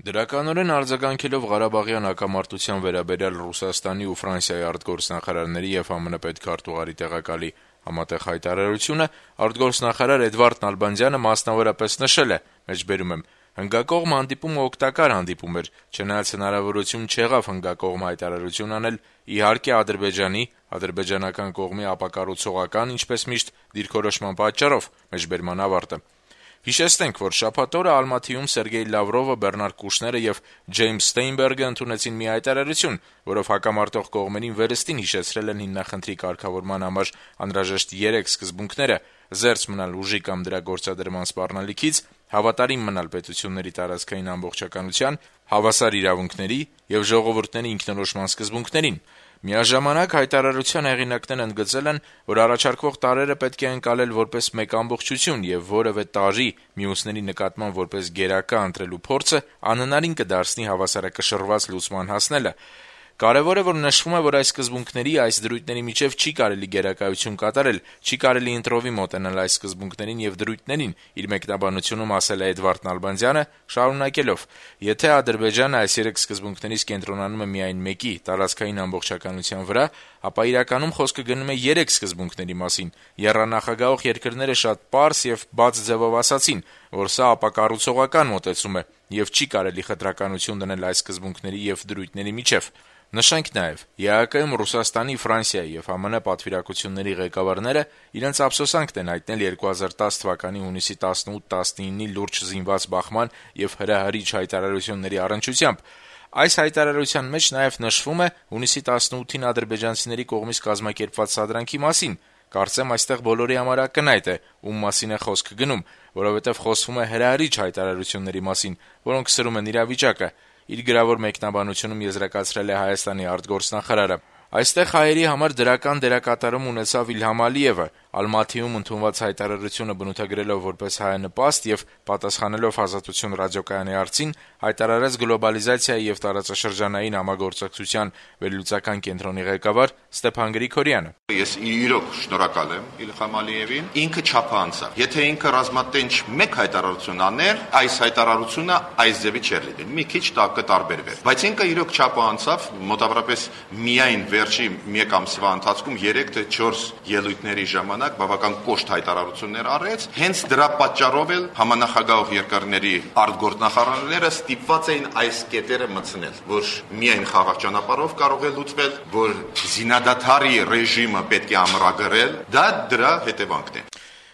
Դրականորեն արձագանքելով Ղարաբաղյան հակամարտության վերաբերյալ Ռուսաստանի ու Ֆրանսիայի արտգործնախարարների եւ ԱՄՆ պետքարտուղարի տեղակալի համատեղ հայտարարությունը արտգործնախարար Էդվարդ Նալբանդյանը մասնավորապես նշել է. «Հնգակողմ հանդիպումը օգտակար հանդիպում էր, չնայած հնարավորություն չեղավ հնգակողմ հայտարարություն անել, իհարկե Ադրբեջանի, ադրբեջանական կողմի ապակառուցողական, ինչպես միշտ, դիրքորոշման պատճառով»։ Հիշեցնենք, որ շաբաթ օրը Ալմաթիում Սերգեյ Լավրովը, Բեռնարդ Կուշները եւ Ջեյմս Ստեյնբերգը ընդունեցին մի հայտարարություն, որով հակամարտող կողմերին վերստին հիշեցրել են հիմնախնդրի կարգավորման համար անհրաժեշտ 3 սկզբունքները՝ զերծ մնալ ուժի կամ դրա գործադրման սպառնալիքից, հավատարիմ մնալ պետությունների տարածքային ամբողջականության, հավասար իրավունքների եւ ժողովուրդների ինքնորոշման սկզբունքներին։ Միաժամանակ հայտարարության հեղինակներն ընդգծել են, որ առաջարկվող տարրերը պետք է ընկալել որպես մեկ ամբողջություն եւ որևէ տարրի մյուսների նկատմամբ որպես գերակա ընտրելու փորձը անհնարին կդարձնի հավասարակշռված լուծման հասնելը։ Կարևոր է, որ նշվում է, որ այս սկզբունքների, այս դրույթների միջև չի կարելի գերակայություն կատարել, չի կարելի ընտրովի մոտենալ այս սկզբունքներին եւ դրույթներին, իր մեկնաբանությունում ասել է Էդվարդ Նալբանդյանը, շարունակելով. «Եթե Ադրբեջանը այս 3 սկզբունքներից կենտրոնանում է միայն մեկի՝ տարածքային ամբողջականության վրա, ապա իրականում խոսքը գնում է 3 սկզբունքների մասին։ Եռանախագահող երկրները շատ պարզ եւ բաց ձեւով ասացին, որ սա ապակառուցողական մոտեցում է եւ չի կարելի խտրականություն դնել այս սկզբունքների եւ դրույթների միջեւ»։ Նշենք նաեւ, ԵԱՀԿ-ում Ռուսաստանի, Ֆրանսիայի եւ ԱՄՆ պատվիրակությունների ղեկավարները իրենց ափսոսանքն են հայտնել 2010 թվականի հունիսի 18-19-ի լուրջ զինված բախման եւ հրահրիչ հայտարարությունների առնչությամբ։ Այս հայտարարության մեջ նաեւ նշվում է հունիսի 18-ին ադրբեջանցիների կողմից կազմակերպված սադրանքի մասին։ Կարծեմ այստեղ բոլորի համար ակնհայտ է, ում մասին է խոսքը գնում, որովհետեւ խոսվում է հրահրիչ հայտարարությունների մասին, որոնք սրում են իրավիճակը։ Իր գրավոր մեկնաբանությունում եզրակացրել է Հայաստանի արտգործնախարարը. «Այստեղ հայերի համար դրական դերակատարում ունեցավ Իլհամ Ալիևը, Ալմաթիում ընդունված հայտարարությունը բնութագրելով որպես հայանպաստ եւ պատասխանելով Ազատություն ռադիոկայանի հարցին, հայտարարեց գլոբալիզացիայի եւ տարածաշրջանային համագործակցության վերլուծական կենտրոնի ղեկավար Ստեփան Գրիգորյանը։ Ես իրոք շնորհակալ եմ Իլհամ Ալիևին, ինքը չափը անցավ։ Եթե ինքը ռազմատենչ մեկ հայտարարություն աներ, այս հայտարարությունը այս ձևի չէր լինի, մի քիչ կտարբերվեր։ Բայց ինքը իրոք չափը անցավ, մոտավորապես միայն վերջի մեկ ամսվա ընթացքում 3 թե 4 ելույթների ժամանակ բավական կոշտ հայտարարություններ արեց, հենց դրա պատճառով էլ համանախագահող երկրների արտգործնախարարները ստիպված էին այս կետերը մտցնել, որ միայն խաղաղ ճանապարհով կարող է լուծվել, որ զինադադարի ռեժիմը պետք է ամրագրել, դա դրա հետևանքն է։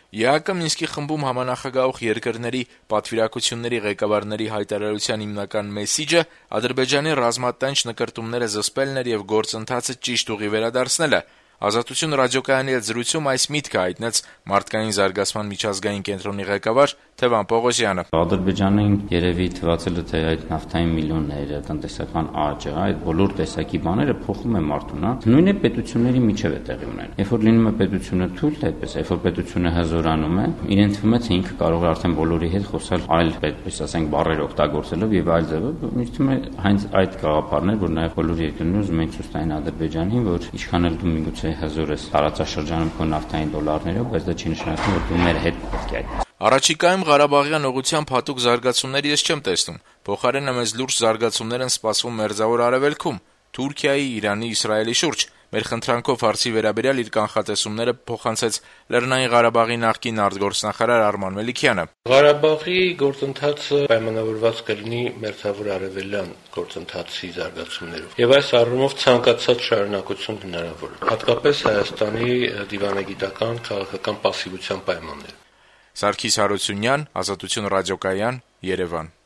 ԵԱՀԿ Մինսկի խմբում համանախագահող երկրների պատվիրակությունների ղեկավարների հայտարարության հիմնական մեսիջը Ադրբեջանի ռազմատենչ նկրտումները զսպելն էր եւ գործընթացը ճիշտ ուղի վերադարձնելը։ Ազատություն ռադիոկայանի հետ զրույցում այս միտքը հայտնեց մարդկային զարգացման միջազգային կենտրոնի ղեկավար Թևան Պողոսյանը։ Ադրբեջանին երևի թվացել է, թե այդ նավթային միլիոնները, տնտեսական աճը, այդ բոլոր տեսակի բաները փոխում է մարդուն, նույնը պետությունների միջև է տեղի ունենում։ Երբ որ լինում է պետությունը թույլ, այդպես, երբ որ պետությունը հզորանում է, իրեն թվում է, թե ինքը կարող է արդեն բոլորի հետ խոսալ այլ, այդպես ասենք, բառեր օգտագործելով եւ այլ ձևով, ինձ թվում է հենց այդ գաղափարներ, որ նաեւ բոլոր երկրներում ուզում են ցույց տային Ադրբեջանին, որ ինչքան էլ դու միգուցե հզոր ես տարածաշրջանում քո նավթային դոլարներով, բայց դա չի նշանակում, որ դու մեր հետ պետք է այդ։ Առաջիկայում Ղարաբաղյան ուղղությամբ հատուկ զարգացումներ ես չեմ տեսնում։ Փոխարենը մեզ լուրջ զարգացումներ են սպասվում Մերձավոր Արևելքում, Թուրքիայի, Իրանի, Իսրայելի շուրջ։ Մեր խնդրանքով հարցի վերաբերյալ իր կանխատեսումները փոխանցեց Լեռնային Ղարաբաղի նախկին արտգործնախարար Արման Մելիքյանը։ Ղարաբաղի գործընթացը պայմանավորված կլինի Մերձավոր Արևելյան գործընթացի զարգացումներով։ Եվ այս առումով ցանկացած շարունակություն հնարավոր է, հատկապես Հայաստանի դիվանագիտական քաղաքական պասիվության պայմաններում։ Սարգիս Հարությունյան, Ազատություն ռադիոկայան, Երևան։